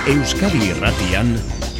Euskadi Irratian,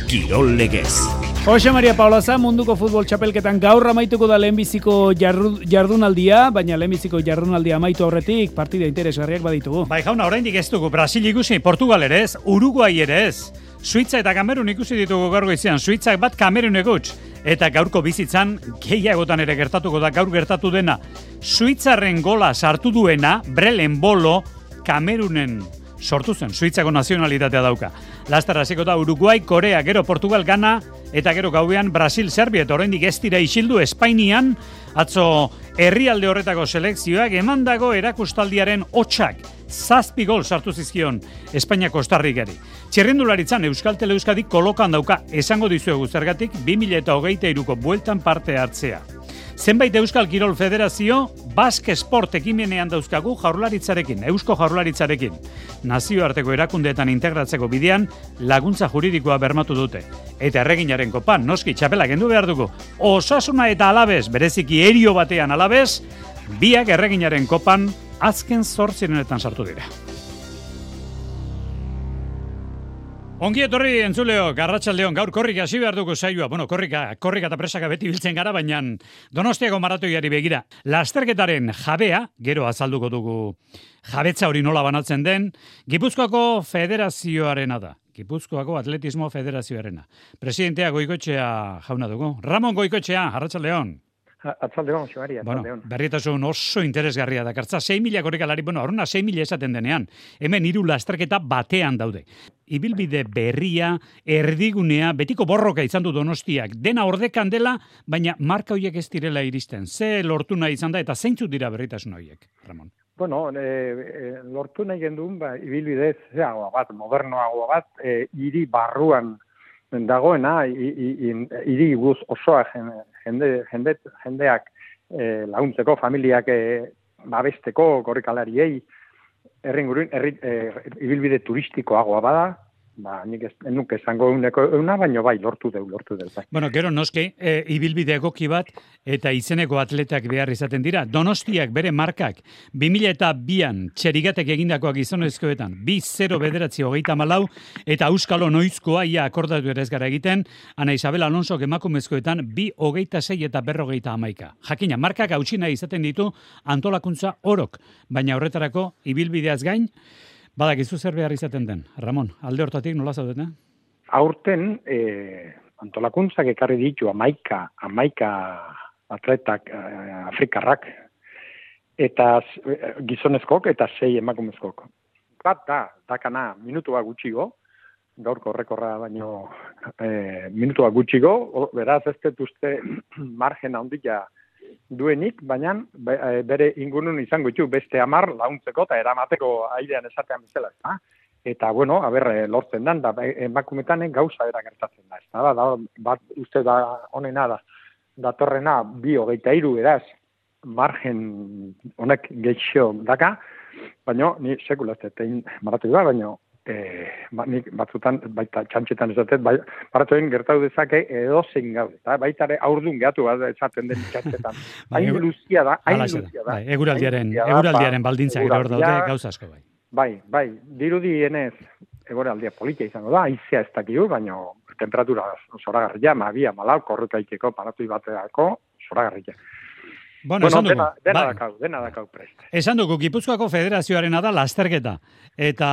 Kirol Legez. Jose Maria Paulaza, munduko futbol txapelketan gaur amaituko da lehenbiziko jardunaldia, baina lehenbiziko jardunaldia amaitu aurretik partida interesgarriak baditugu. Bai jauna, oraindik ez dugu Brasil ikusi, Portugal ere ez, Uruguay ere ez, Suitza eta Kamerun ikusi ditugu gaur goizean, Suitzak bat Kamerunek huts, eta gaurko bizitzan gehiagotan ere gertatuko da gaur gertatu dena. Suitzarren gola sartu duena, Brelen Bolo, Kamerunen sortu zen, Suitzako nazionalitatea dauka. Laster hasiko da Uruguay, Korea, gero Portugal, Ghana, eta gero gauean Brasil, Serbia, eta oraindik ez dira isildu Espainian, atzo herrialde horretako selekzioak emandago erakustaldiaren hotsak 7 gol sartu zizkion Espainia Kostarrikari. Txirrindularitzan Euskal Teleuskadik kolokan dauka, esango dizuegu zergatik 2023ko bueltan parte hartzea. Zenbait Euskal Kirol Federazio Basque Sport ekimenean dauzkagu Jaurlaritzarekin, Eusko Jaurlaritzarekin. Nazioarteko erakundeetan integratzeko bidean laguntza juridikoa bermatu dute. Eta erreginaren kopan, noski txapela kendu behar dugu. Osasuna eta Alabez, bereziki erio batean Alabez, biak erreginaren kopan azken 8 sartu dira. Ongi etorri entzuleok, Arratsaldeon, gaur korrika hasi behar dugu saioa. Bueno, korrika eta presaka beti biltzen gara, baina Donostiako maratoiari begira. Lasterketaren jabea, gero azalduko dugu jabetza hori nola banatzen den, Gipuzkoako Federazioarena da. Gipuzkoako Atletismo Federazioarena. Presidentea Goikoetxea jauna dugu. Ramon Goikoetxea, Arratsaldeon. Atzaldeon, Ximari, atzaldeon. Bueno, berrietasun oso interesgarria dakartza. 6.000 korrikalari, horrena 6.000 esaten denean. Hemen 3 lasterketa batean daude. Ibilbide berria, erdigunea, betiko borroka izan du Donostiak. Dena ordekan dela, baina marka horiek ez direla iristen. Ze lortu nahi izan da eta zeintzuk dira berritasun horiek, Ramon? Bueno, lortu nahi gendun, ibilbide zeagoa bat, modernoagoa bat, hiri barruan dagoena, hiri guz osoa jendeak laguntzeko, familiak babesteko, korrikalariei, ibilbide turistikoagoa bada, nik nuke esango euna, baina bai, lortu deu. Bai. Bueno, gero noski, ibilbide egoki bat eta izeneko atletak behar izaten dira. Donostiak bere markak 2002an txerigatek egindakoak gizonezkoetan 2-0-9-24 eta Euskalo Noizkoa ia akordatu ere ez gara egiten, Ana Isabel Alonso emakumezkoetan 2-26 eta 2-11. Jakina, markak hautsina izaten ditu antolakuntza orok, baina horretarako ibilbideaz gain, badakizu zer behar izaten den. Ramon, alde hortatik nola zaudeten? Aurten antolakuntzak ekarri ditu 11 atletak afrikarrak, eta gizonezkok eta 6 emakumezkok. Bat dakana minutua gutxigo, gaurko rekorra baino minutua gutxigo, beraz ez detuzte margen handia duenik, baina bere ingurun izango ditu beste 10 launtzeko eta eramateko airean esatean bezala, ezta? Eta bueno, lortzen dan, da emakumetan gauza era gertatzen da, ezta? Bat uste da honena da, datorrena 2-23 eraz, margen honek gehixo daka, baina ni sekula ez tein maratu da, baina nik batzutan, baita txantxetan esatet, baratoen gertatu dezake edozein gaude, eta baita ere aurdun gehatu bat esaten den txantxetan. Hain luzia da. Eguraldiaren baldintzak hor daude gauza asko bai. Bai, dirudienez eguraldia politia izango da, haizea ez dakigu, baina temperatura zoragarria, 2-4 korrukaikeko paratui bateako zoragarria. Bueno, dena dakau prest. Esan dugu, Gipuzkoako Federazioarena da lasterketa, eta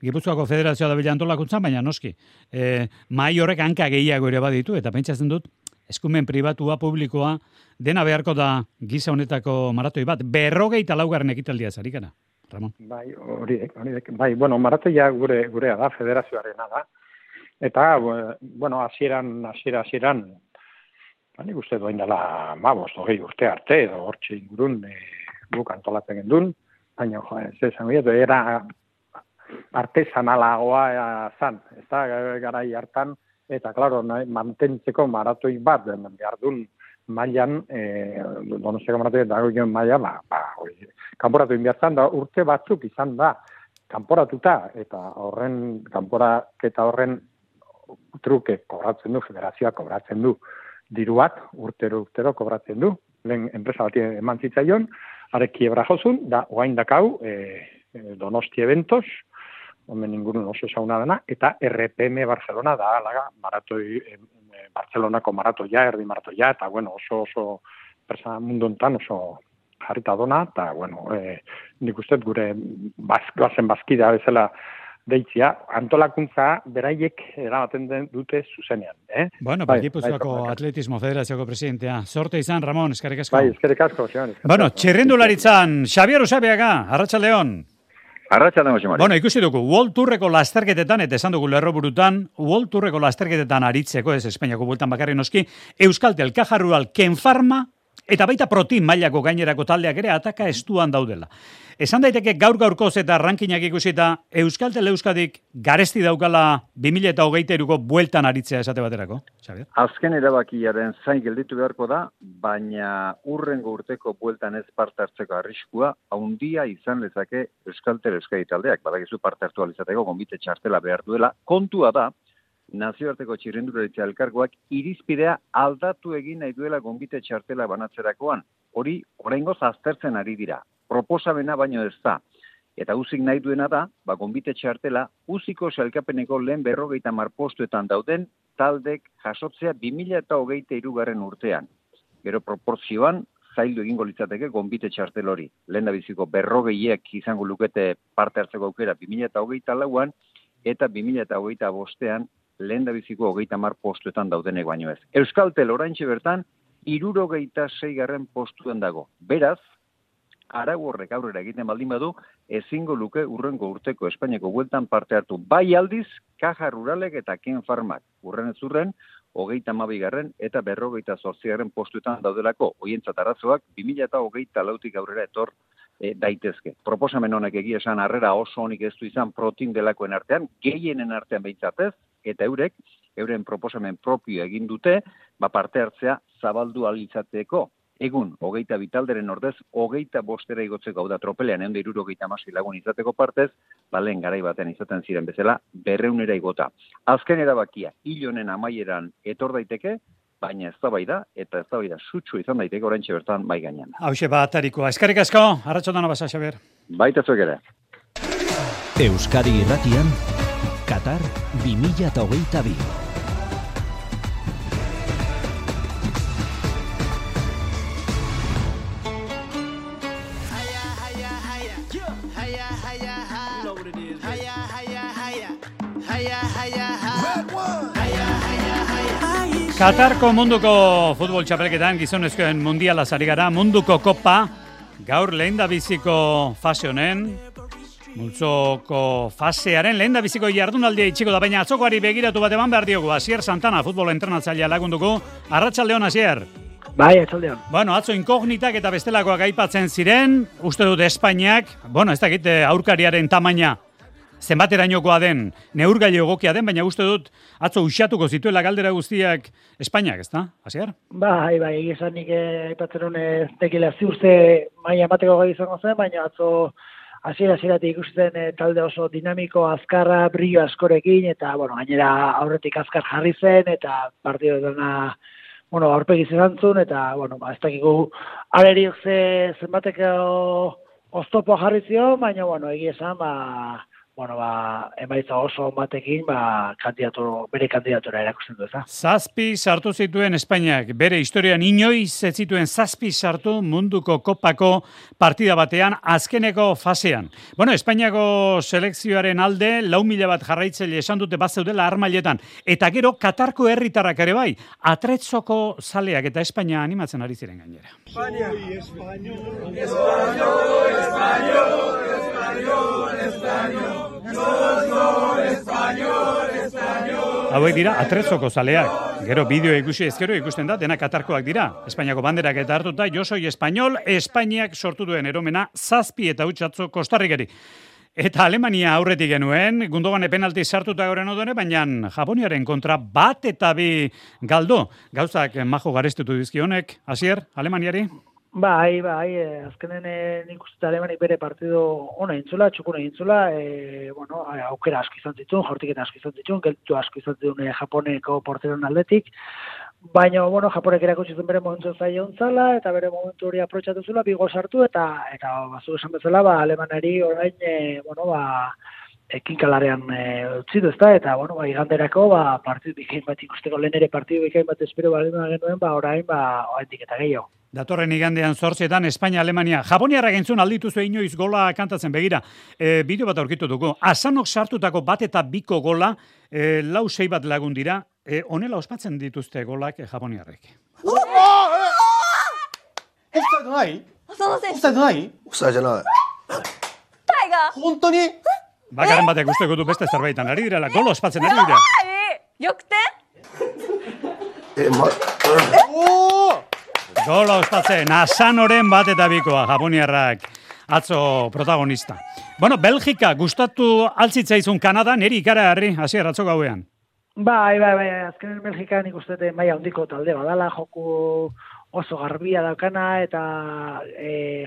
Gipuzkoako Federazioa da bila antolakuntzan, baina noski. Mahai horrek hanka gehiago ere baditu, eta pentsatzen dut, eskumen pribatua, publikoa, dena beharko da giza honetako maratoi bat, 54. ekitaldia zarikana, Ramon. Bai, horiek. Bai, bueno, maratoia gurea da, Federazioarena da. Eta, bueno, hasieran, nik uste doain dela 15-20 urte arte, edo hortxe ingurun guk antolatzen gendun, baina, era artesanalagoa zan, ez da, garai hartan, eta, klaro, mantentzeko maratoi bat, behar duen mailan, Donostiako maratoi dagoen maila, kanporatu inbiartzan, da urte batzuk izan da, kanporatuta, eta kanporaketa horren truke kobratzen du, federazioa kobratzen du, diruak urtero kobratzen du, lehen enpresa bat eman zitzaion, are kiebra jozun, da oain dakau, Donosti Eventos, omen ingurun oso ezauna dena, eta RPM Barcelona da, alaga, Barcelonako maratoia, erdi maratoia, eta bueno, oso mundu hontan oso jarrita dona, eta bueno, nik uste gure goazen bazkidea bezala deitzia, antolakuntza beraiek eramaten dute zuzenean. Bueno, Gipuzkoako Atletismo Federazioko presidentea. Sorte izan, Ramon, eskerrik asko. Bai, eskerrik asko, Xeban. Bueno, txirrindularitzan, Xabier Usabiaga, Arratsaldeon. Arratsaldeon, Xemari. Bueno, ikusi dugu, World Tourreko lasterketetan, eta esan dugu lerroburutan, World Tourreko lasterketetan aritzeko, ez Espainiako bueltan bakarri noski, Euskaltel, Caja Rural, Kenfarma, eta baita Protein mailako gainerako taldeak ere ataka estuan daudela. Esan daiteke gaur-gaurkoz eta rankinak ikusita, Euskaltel Euskadik garesti daukala 2023ko bueltan aritzea esate baterako, Xabier? Azken erabakiaren zain gelditu beharko da, baina urrengo urteko bueltan ez parte hartzeko arriskua handia izan lezake Euskaltel Euskadi taldeak. Badakizu parte hartu alizateko gonbite txartela behar duela. Kontua da, nazioarteko txirrindularitza elkargoak irizpidea aldatu egin nahi duela gonbite txartela banatzerakoan. Hori, oraingoz aztertzen ari dira. Proposamena baino ez da. Eta uzik nahi duena da, gonbite txartela, uziko sailkapeneko lehen 50 postuetan dauden taldek jasotzea 2023 urtean. Gero proportzioan, zaildu egingo litzateke gonbite txartel hori. Lehen da biziko 40 izango lukete parte hartzeko aukera 2024an, eta 2025an lehen da biziko 30 postuetan daudenek baino ez. Euskaltel oraintxe bertan, 76 postuan dago. Beraz, arau horrek aurrera egiten baldin badu, ezingo luke urrengo urteko Espainiako bueltan parte hartu. Bai aldiz, Caja Ruralek eta Kenfarmak urren ez urren, 32 eta 58 postuetan daudelako. Hoientzat arazoak 2024tik aurrera etor daitezke. Proposamen honek egia esan harrera oso honik ez du izan Protein delakoen artean, gehienen artean behintzatez, eta euren proposamen propio egin dute, parte hartzea zabaldu alitzateko. Egun, 22 talderen ordez, 25 igotzeko, hau da tropelean, 176 lagun izateko partez, lehen garai batean izaten ziren bezala, 200 igota. Azken erabakia, hil honen amaieran etor daiteke, baina eztabaida eta eztabaida sutsu izan daiteke oraintxe bertan bai gainean. Hauxe batarikoa. Eskerrik asko, arratsaldeon basa, Xabier. Baita zuek ere. Euskadi Irratian, Qatar 2022. Katarko munduko futbol txapelketan gizonezkoen mundiala ari gara, munduko kopa, gaur lehendabiziko fase honen, multzoko fasearen lehendabiziko jardunaldia itxiko da, baina atzokoari begiratu bat eman behar diogu. Asier Santana, futbol entrenatzailea lagunduko. Arratsaldeon, Asier. Bai, atxaldeon. Bueno, atzo inkognitak eta bestelakoak aipatzen ziren, uste dut Espainiak, ez dakit aurkariaren tamaina zenbaterainokoa den, neurgailu egokia den, baina uste dut atzo uxatuko zituela galdera guztiak Espainiak, ezta? Asier? Bai, egizan nik aipatzen honen tekila ziurze maila emateko gai izango zen, baina atzo hasieratik ikusten talde oso dinamiko, azkarra, brillo askorekin, eta, gainera aurretik azkar jarri zen, eta partido dena, aurpegi zerantzun, eta, ez dakigu aleriok zenbateko oztopo jarri zion, baina, egia esan, emaitza oso batekin, bere kandidatura erakusten du, eza? 7 sartu zituen Espainiak, bere historian inoiz ez zituen 7 sartu munduko kopako partida batean, azkeneko fasean. Espainiako selekzioaren alde, 4.000 bat jarraitzaile esan dute bat zeudela armailetan, eta gero Katarko herritarrak ere bai, atretzoko zaleak eta Espainia animatzen ari ziren gainera. Hauek dira atretzoko zaleak. Gero bideo ikusten da, dena Katarkoak dira. Espainiako banderak eta hartuta, yo soy español, Espainiak sortu duen eromena 7 eta hutsatzo Kostarrikeri. Eta Alemania aurretik genuen, Gundogan penalti sartuta goren odone, baina Japoniaren kontra 1 eta 2 galdo. Gauzak majo garestetu dizkionek, Asier, Alemaniari? Bai, azkenen nik uste Alemanik bere partido ona intzula, txukuna intzula, aukera asko izan zituen, jaurtiketa asko izan zituen, geltu asko izan zituen Japoneko porteron aldetik, baina, Japonek erakutsi zuen bere momentu zaila ontzala, eta bere momentu hori aprotxatu zula, bigo sartu, eta bazu esan bezala, Alemanari orain, ekinkalarean utzi du, ezta, eta, bueno, iganderako, partidu bikain bat ikusteko, lehen ere partidu bikain bat espero balima genuen, orain, oraindik eta gehiago. Datorren igandean 8etan Espainia-Alemania. Japoniarrak entzun aldituzu inoiz gola kantatzen begira. Bideo bat aurkitu dugu. Asanok sartutako bat eta biko gola, 6 bat lagun dira. Honela ospatzen dituzte golak Japoniarrek. Offside ない浅野選手。オフサイドないオフサイドじゃない。タイガー。本当に Bakaren batek usteko du beste zerbaitan ari direla. Gol ospatzen ari dira. 逆転。おー Gola ospatzen, Asanoren bat eta bikoa, Japoniarrak atzo protagonista. Bueno, Belgika gustatu altzitzaizun Kanada, neri ikara harri, hasier atzo gauean. Bai, azkenen Belgikan ikustete maila handiko talde badala, joku oso garbia daukana, eta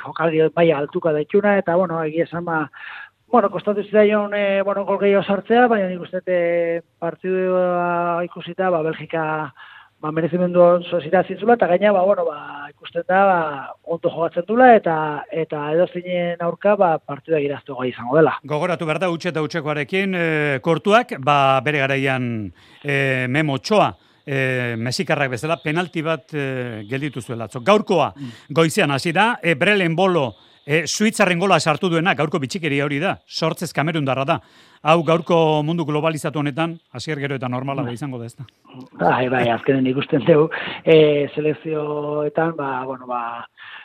jokaldi maila altuka daitxuna, eta, bueno, egia esan, kostatu zidaion, gol gehiago sartzea, baina nik ustete partidua ikusita, Belgika merezimendu oso zirazintzula, eta gaina, ikusten da, ondo jogatzen dula, eta edozinen aurka, partidua giraztu gai izango dela. Gogoratu behar da, utxe eta utxekoarekin, Kortuak, bere garaian Memo Txoa, Mexikarrak bezala, penalti bat gelditu zuela. Gaurkoa, goizean hasi da, Brelen Bolo, Suitzarren gola sartu duena, gaurko bitxikeria hori da, sortzez Kamerundarra da. Hau gaurko mundu globalizatu honetan, hasier gero eta normala da izango da ez da. Bai, azkenen ikusten dugu, selekzioetan,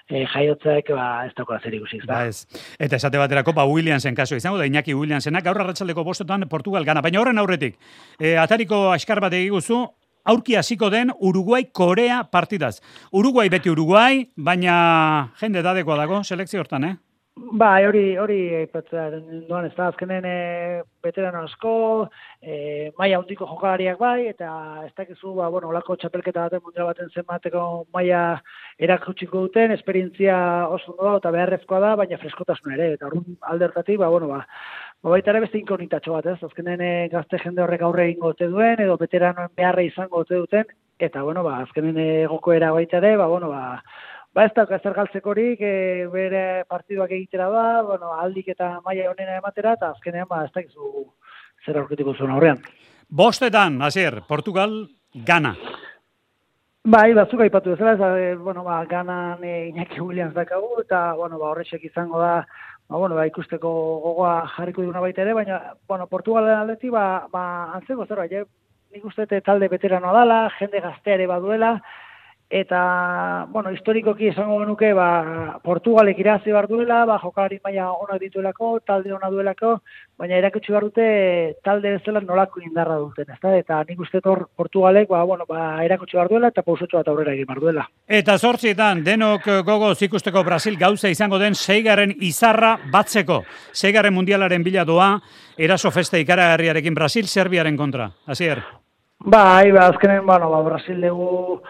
jaiotzaek ez daukora zer ikusi. Ez. Eta esate baterako, Williamsen kaso izango da, Iñaki Williamsenak, gaur arratsaldeko 5:00 Portugal gana, baina horren aurretik, atariko askar bat egiguzu, aurki hasiko den Uruguai-Korea partidaz. Uruguai beti Uruguai, baina jende dadekoa dago selekzio hortan, Bai, hori aipatzea duan ez da, azkenen veterano asko, maila handiko jokalariak bai, eta ez dakizu, olako txapelketa baten, mundial baten zenbateko maila erakutsiko duten, esperientzia oso ondo da, eta beharrezkoa da, baina freskotasun ere, eta horren aldertatik, baita ere beste inkognitatxo bat, ez? Azkenen gazte jende horrek aurre egingo ote duen, edo veteranoen beharra izango ote duten, eta, azkenen egokoera baita ere, ez da, ezer galtzekorik, bere partiduak egitera da, aldik eta maila honena ematera, eta azkenean, ez dakizu zer aurkituko zuen aurrean. 5:00, hasier, Portugal, Gana. Bai, batzuk aipatu bezala, Ganan Iñaki Williams dakagu, eta, horrexek izango da, ikusteko gogoa jarriko duguna baita ere, baina, Portugalen aldetik, antzeko zerbait, nik uste talde veteranoa dala, jende gazteare baduela, eta, historikoki esango genuke, Portugalek irazi behar duela, jokalari maila onak dituelako, talde ona duelako, baina erakutsi behar dute talde bezala nolako indarra duten, ezta? Eta nik uste Portugalek, erakutsi behar duela, eta pausotxo bat aurrera egin behar duela. Eta 8:00 denok gogoz ikusteko Brasil gauza izango den 6. izarra batzeko. 6. mundialaren bila doa, eraso festa ikaragarriarekin Brasil, Serbiaren kontra. Hasier. Bai, azkenen, Brasil dugu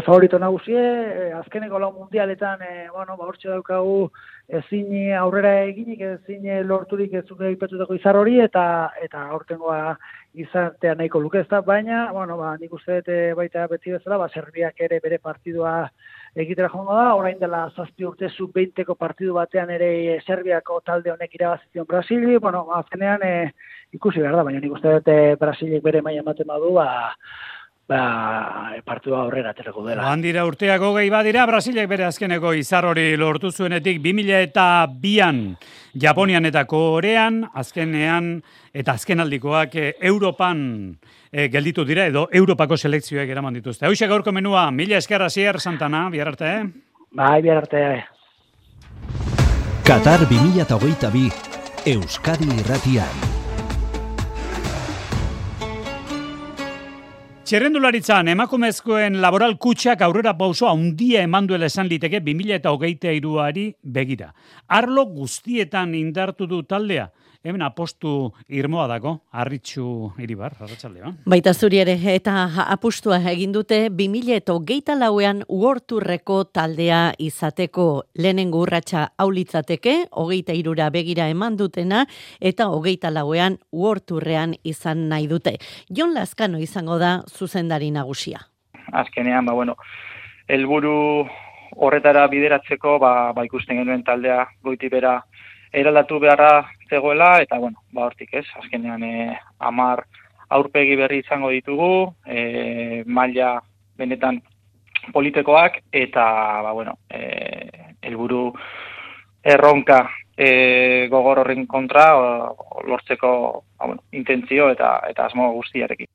favorito nagusie, azkeneko lau mundialetan, hortxe daukagu ezin aurrera eginik, ezin lorturik ez zuke ipatutako izar hori, eta aurtengoa izatea nahiko luke ez da, baina, nik uste baita beti bezala, Serbiak ere bere partidua egitera joango da, orain dela 7 urte sub-20ko partidu batean ere Serbiako talde honek irabazizion Brasili, azkenean ikusi behar da, baina nik uste Brasilik bere maila ematen badu, partidua aurrera aterako dela. Handira urteak 20 badira, Brasilek bere azkeneko izar hori lortu zuenetik 2002an Japonian eta Korean, azkenean eta azkenaldikoak Europan gelditu dira, edo Europako selekzioek eraman dituzte. Hauxe gaurko menua, mila esker Hasier Santana, bihar arte, Bai, bihar arte, Qatar 2022, Euskadi Irratian. Txerrendularitzan, emakumezkoen laboral kutxak aurrera pausoa handia eman duela esan liteke 2023ari begira. Arlo guztietan indartu du taldea. Hemen apostu irmoa dago, Arritxu Iribar, arratsaldean. Baita zuri ere, eta apustua egin dute 2024an uorturreko taldea izateko. Lehenengo urratsa aulitzateke, 23ra begira eman dutena, eta 24an uorturrean izan nahi dute. Jon Lazkano izango da zuzendari nagusia. Azkenean, helburu horretara bideratzeko, ikusten genuen taldea goiti bera eraldatu beharra zegoela, eta bueno, hortik ez, azkenean 10 aurpegi berri izango ditugu, maila benetan politekoak, eta helburu erronka gogor horren kontra lortzeko intentzio eta asmo guztiarekin.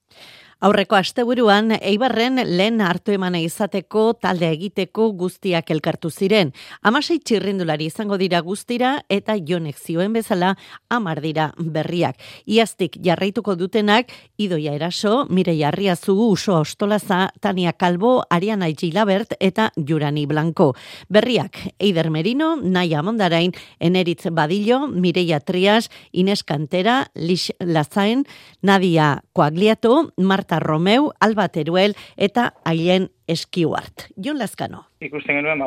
Aurreko asteburuan Eibarren lehen hartu emana izateko talde egiteko guztiak elkartu ziren. 16 txirrindulari izango dira guztira eta Jonek zioen bezala 10 dira berriak. Iaztik jarraituko dutenak Idoia Eraso, Mireia Arriazugu, Uso Ostolaza, Tania Calvo, Ariana Gilabert eta Jurani Blanco. Berriak Eider Merino, Naia Mondarain, Eneritz Badillo, Mireia Trias, Ines Cantera, Lix Lazain, Nadia Coagliato, Marta Romeu, Alba Teruel eta Ailen Eskiuart. Jon Lazkano. Ikusten genuen,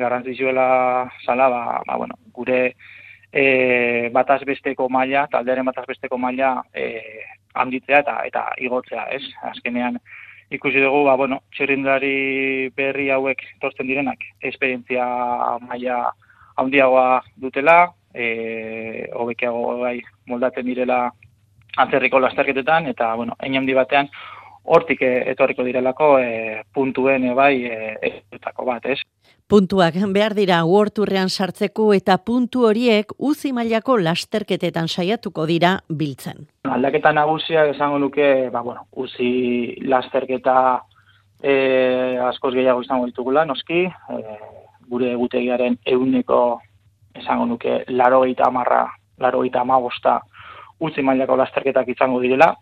garrantzitsuela zala, gure bataz besteko maila, taldearen bataz besteko maila handitzea eta igotzea, ez? Azkenean ikusi dugu, txirrindulari berri hauek tortzen direnak, esperientzia maila handiagoa dutela, hobekiago moldatzen direla atzerriko lasterketetan, eta, hein handi batean, hortik etorriko direlako puntuen etako bat, ez? Puntuak behar dira Worldtourrean sartzeko eta puntu horiek uzi mailako lasterketetan saiatuko dira biltzen. Aldaketa nagusiak esango nuke, uzi lasterketa askoz gehiago izango ditugula, noski, gure egutegiaren 100% esango nuke 85 utzi mailako lasterketak izango direla,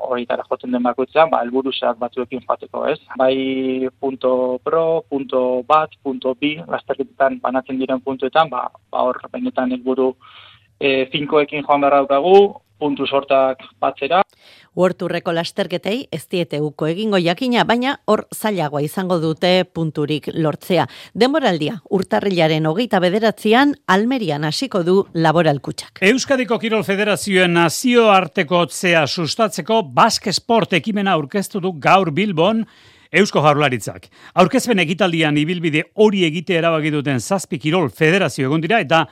horietara jotzen den bakoitza, helburu zehatz batzuekin joateko, ez? Bai punto pro, punto bat, punto bi, lasterketetan banatzen diren puntuetan, hor benetan helburu finkoekin joan beharra daukagu, puntu sortak batzera. Worldtourreko lasterketei ez diete uko egingo jakina, baina hor zailagoa izango dute punturik lortzea. Denboraldia, urtarrilaren 29an Almerian hasiko du Laboralkutxak. Euskadiko Kirol Federazioen nazioartekotzea sustatzeko Basque Sport ekimena aurkeztu du gaur Bilbon Eusko Jaurlaritzak. Aurkezpen ekitaldian ibilbide hori egite erabaki duten 7 Kirol Federazio egon dira eta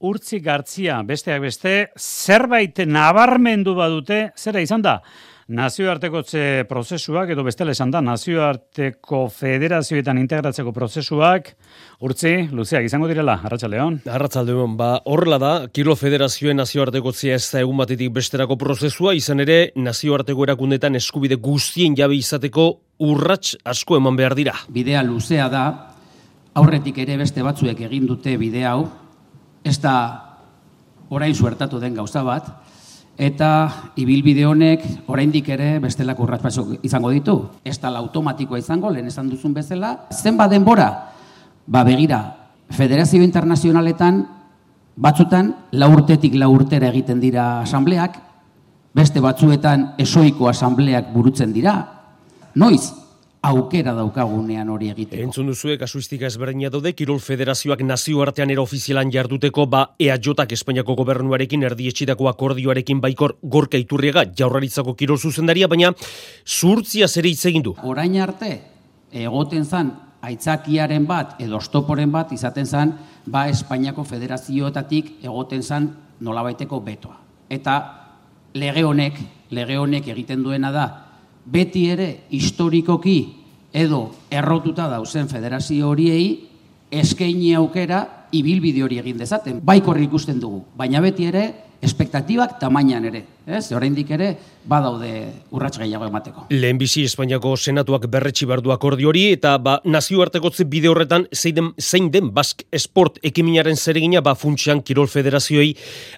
Urtzi Gartzia, besteak beste, zerbait nabarmendu badute, zera izan da? Nazioartekotze prozesuak, edo bestela esan da, nazioarteko federazioetan integratzeko prozesuak, Urtzi, luzeak izango direla, Arratsaldeon. Arratsaldeon, horrela da, Kirol Federazioen nazioartekotzea ez da egun batetik besterako prozesua, izan ere, nazioarteko erakundetan eskubide guztien jabe izateko urrats asko eman behar dira. Bidea luzea da, aurretik ere beste batzuek egin dute bide hau, ez da orain suertatu den gauza bat, eta ibilbide honek oraindik ere bestelako urrats izango ditu. Ez da automatikoa izango, lehen esan duzun bezala. Zenbat denbora? Begira, Federazio Internazionaletan batzutan 4 urtetik 4 urtera egiten dira asambleak, beste batzuetan esoiko asambleak burutzen dira. Noiz? Aukera daukagunean hori egiteko. Entzun duzue, kasuistika ezberdina daude, Kirol Federazioak nazioartean era ofizialan jarduteko, EAJak Espainiako gobernuarekin erdietxitako akordioarekin baikor Gorka Iturriaga, Jaurlaritzako kirol zuzendaria, baina zuhurtzia zer hitz egin du. Orain arte, egoten zan, aitzakiaren bat, edo oztoporen bat, izaten zan, Espainiako federazioetatik egoten zan nolabaiteko betoa. Eta lege honek egiten duena da, beti ere historikoki edo errotuta dauzen federazio horiei eskaini aukera ibilbide hori egin dezaten. Baikor ikusten dugu, baina beti ere espektatibak tamainan ere. Oraindik ere badaude urrats gehiago emateko. Lehenbizi Espainiako Senatuak berretsi behar du akordio hori eta nazioartekotze bide horretan zein den Basque Sport ekiminaren zeregina funtsian Kirol Federazioei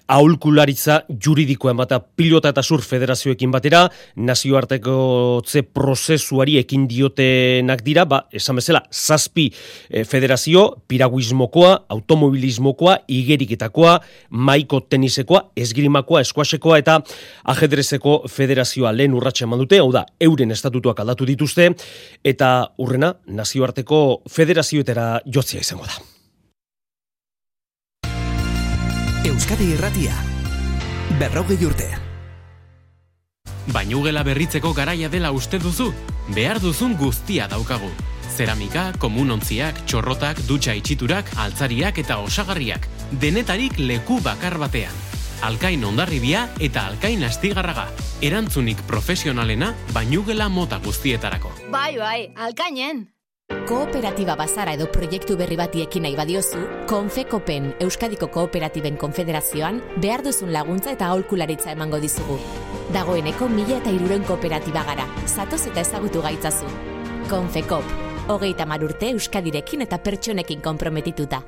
aholkularitza juridikoa emata pilota eta surf federazioekin batera nazioartekotze prozesuari ekin diotenak dira, esan bezala 7 federazio, piraguismokoa, automobilismokoa, igeriketakoa, maiko tenisekoa, esgrimakoa, eskuasekoa eta ajedrezeko federazioa lehen urratsa eman dute, hau da, euren estatutuak aldatu dituzte, eta hurrena nazioarteko federazioetara jotzea izango da. Euskadi Irratia, 40 urte. Bainugela berritzeko garaia dela uste duzu? Behar duzun guztia daukagu. Zeramika, komunontziak, txorrotak, dutxa itxiturak, altzariak eta osagarriak. denetarik leku bakar batean. Alkain Hondarribia eta Alkain Astigarraga. Erantzunik profesionalena bainugela mota guztietarako. Bai, Alkainen! Kooperatiba bazara edo proiektu berri bati ekin nahi badiozu, Konfekopen Euskadiko Kooperatiben Konfederazioan behar duzun laguntza eta aholkularitza emango dizugu. Dagoeneko 1300 kooperatiba gara, zatoz eta ezagutu gaitzazu. Konfekop, 30 urte Euskadirekin eta pertsonekin konprometituta.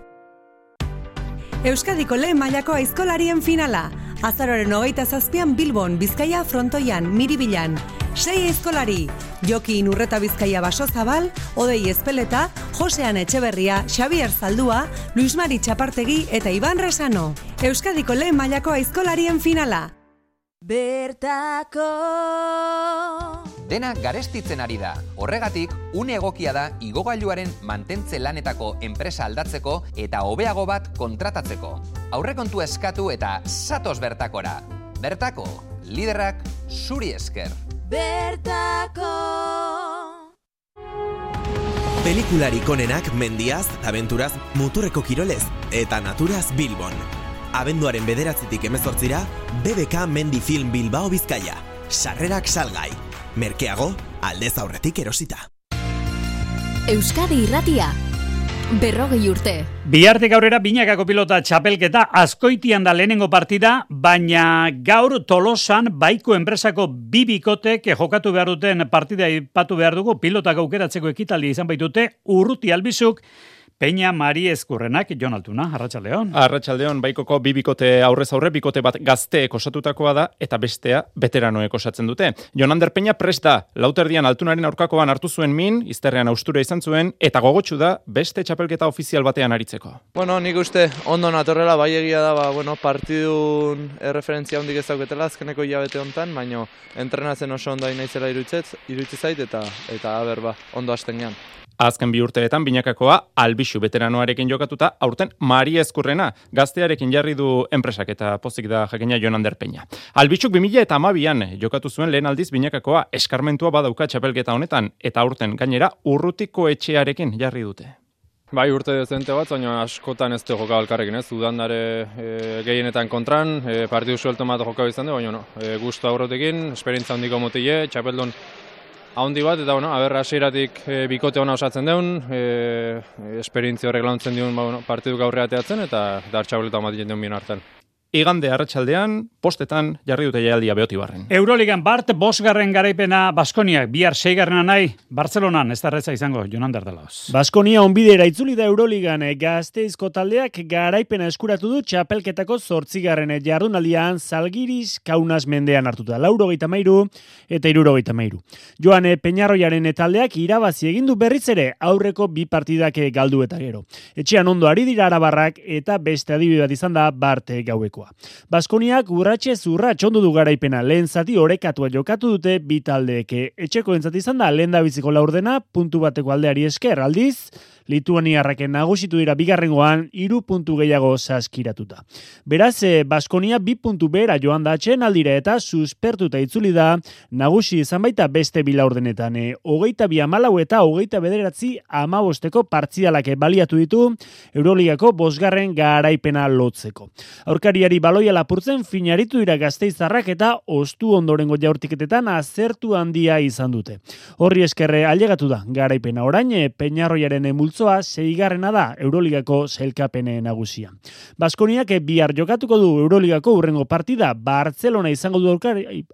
Euskadiko lehen mailako aizkolarien finala. Azaroaren 27an Bilbon, Bizkaia frontoian, Miribilan. 6 aizkolari, Joki Inurreta Bizkaia Basozabal, Odei Ezpeleta, Josean Etxeberria, Xabier Zaldua, Luis Mari Txapartegi eta Iban Resano. Euskadiko lehen mailako aizkolarien finala. Bertako dena garestitzen ari da. Horregatik, une egokia da igogailuaren mantentze lanetako enpresa aldatzeko eta hobeago bat kontratatzeko. Aurrekontua eskatu eta zatoz Bertakora. Bertako, liderrak zuri esker. Bertako Pelikularik onenak mendiaz, abenturaz, muturreko kirolez eta naturaz Bilbon. Abenduaren 9-tik 18ra, BBK Mendi Film Bilbao Bizkaia. Sarrerak salgai. Merkeago, aldez aurretik erosita. Euskadi Irratia. 40 urte. Bihartik aurrera binakako pilota txapelketa Azkoitian da lehenengo partida, baina gaur Tolosan Baiko enpresako bi bikotek jokatu behar duten partida ipatu behar dugu, pilotak aukeratzeko ekitaldi izan baitute Urruti Albizuk, Peña Mari Ezkurrenak, Jon Altuna, Arratsaldeon. Arratsaldeon, Baikoko bi bikote aurrez aurre, bikote bat gazteek osatutakoa da, eta bestea veteranoek osatzen dute. Jon Ander Peña prest da, lauterdian Altunaren aurkakoan hartu zuen min, izterrean austura izan zuen, eta gogotsu da beste txapelketa ofizial batean aritzeko. Bueno, nik uste ondo natorrela, bai egia da, partidun erreferentzia hondik ez dauketela azkeneko hilabete hontan, baina entrenatzen oso ondo naizela iruditzen zait, eta aber ondo hasten gean. Azken bi urteetan binakakoa Albixu veteranoarekin jokatuta, aurten Mari Ezkurrena gaztearekin jarri du enpresak eta pozik da jakina Jon Ander Peña. Albixuk 2012an jokatu zuen lehen aldiz binakakoa eskarmentua badauka txapelketa honetan eta aurten gainera Urrutiko etxearekin jarri dute. Bai, urte dezente bat, baina askotan ez du joka elkarrekin, ez? Udandare gehienetan kontran, partidu suelto bat joka izan du, baina gustu aurrotekin, esperientzia handiko motile, txapeldun haundi bat, eta hasieratik bikote ona osatzen deun, esperientzia horrek launtzen diun partidu gaurre ateatzen, eta txapeleta omatien deun bien hartan. Igande arratsaldean, postetan jarri dute jaialdia Beotibarren. Euroligan Bart, 5. garaipena Baskoniak, bihar 6. nahi, Bartzelonan, ez da erretza izango, Jon Ander Delaoz. Baskonia onbidera itzuli da Euroligan, Gazteizko taldeak garaipena eskuratu du txapelketako 8. jardunaldian Zalgiris Kaunas mendean hartuta, 83 eta 73. Joan Peñarroiaren taldeak irabazi egin du berriz ere aurreko bi partidak galdu eta gero. Etxean ondo ari dira arabarrak eta beste adibide bat izan da Bart gaueko. Baskoniak urratxez urratx ondu du garaipena, lehen zati orekatua jokatu dute bi taldeek. Etxeko entzati izan da lehen da biziko laurdena, puntu bateko aldeari esker, aldiz, Lituaniarraken nagusitu dira bigarrengoan 3 puntu gehiago saskiratuta. Beraz, Baskonia 2 puntu behera joan da atsedenaldira eta suspertuta itzuli da nagusi izan baita beste bi laurdenetan. 22-14 eta 29-15 partzialak baliatu ditu Euroligako 5. garaipena lotzeko. Aurkariari baloia lapurtzen finaritu dira Gasteiztarrak eta ostu ondorengo jaurtiketetan azertu handia izan dute. Horri eskerre ailegatu da garaipena orain Peñarroiaren multzoa 6. da Euroligako sailkapene nagusia. Baskoniak bihar jokatuko du Euroligako hurrengo partida Bartzelona izango du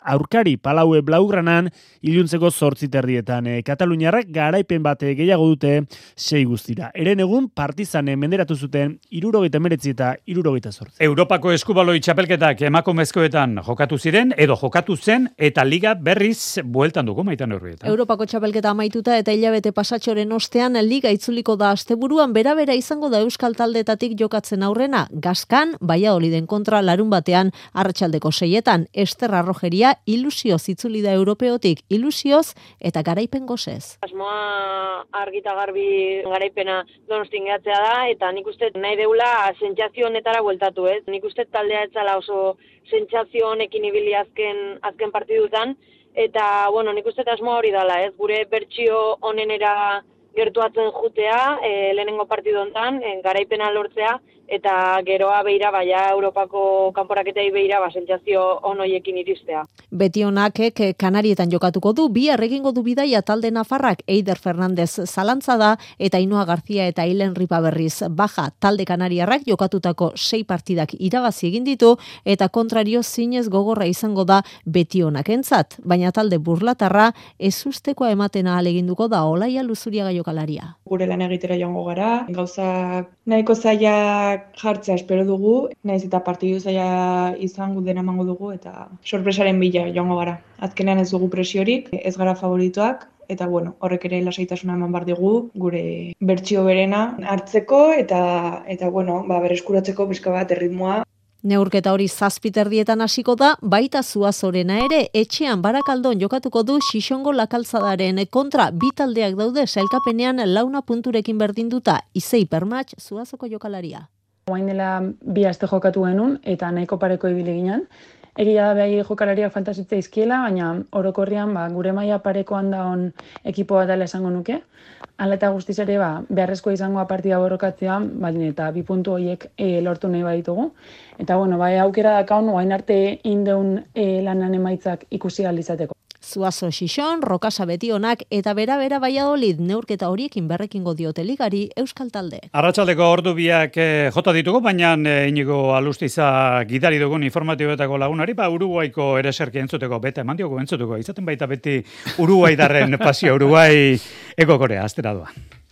aurkari Palaue Blaugranan iluntzeko 8:30. Kataluniarrak garaipen bate gehiago dute 6 guztira. Eren egun Partizan menderatu zuten 79 eta 78. Europako eskubaloi txapelketak emakumezkoetan jokatu ziren edo jokatu zen eta liga berriz bueltan dugu Maitan Urrieta. Europako txapelketa amaituta eta hilabete pasatxoren ostean liga itzuliko da asteburuan bera izango da Euskal taldetatik jokatzen aurrena. Gaskan, Valladoliden kontra larun batean arratsaldeko 6etan Esterra Rojeria ilusioz itzuli da europeotik, ilusioz eta garaipen gozez. Asmoa argita garbi garaipena Donostin gehatzea da eta nik uste nahi deula sentsazio honetara bueltatu, ez? Nik uste taldea etzala oso sentsazio honekin ibili azken partidutan eta nik uste asmoa hori dala, ez? Gure bertsio honenera gertuatzen jutea, lehenengo partidu hontan, garaipena lortzea, eta geroa beira, baina Europako kanporaketei beira, sentsazio onoiekin iristea. Betionakek Kanarietan jokatuko du, bihar egingo du bidaia talde nafarrak Eider Fernandez zalantza da, eta Ainhoa Garzia eta Ilen Ripaberriz baja talde kanariarrak jokatutako 6 partidak irabazi egin ditu, eta kontrario zinez gogorra izango da Betionakentzat, baina talde burlatarra ezustekoa ematen ahaleginduko da Olaia Luzuriaga jokalaria. Gure lan egitera joango gara, gauzak nahiko zailak jartzea espero dugu, naiz eta partidu zaila izango dena emango dugu eta sorpresaren bila joango gara. Azkenean ez dugu presiorik, ez gara favoritoak, eta horrek ere lasaitasuna eman bar digu gure bertsio berena hartzeko eta berreskuratzeko pixka bat erritmoa. Neurketa hori 7:30 hasiko da, baita Zuazorena ere, etxean Barakaldon jokatuko du Xixongo Lakaltzadaren kontra, bi taldeak daude sailkapenean 4 punturekin berdinduta, Izei Permatx Zuazoko jokalaria. Orain dela 2 aste jokatu genuen eta nahiko pareko ibili ginen. Egia da bai jokalariak falta zitzaizkiela, baina orokorrean gure maila parekoan daon ekipo bat dela esango nuke. Hala eta guztiz ere beharrezkoa izangoa partida borrokatzea, eta 2 puntu horiek lortu nahi baditugu. Eta aukera dakaun orain arte indeun lanan emaitzak ikusi ahal izateko. Zuazo Xixon, Rokasa Betionak eta bera Valladolid neurketa horiekin berrekingo diote ligari euskal talde. Arratsaldeko ordu biak jota ditugu, baina Inigo Alustiza gidari dugun informatiboetako lagunari, Uruguaiko ereserki entzuteko, beta eman diogu entzuteko, izaten baita beti Uruguaidarren pasio, Uruguai Eko Korea, astera doa.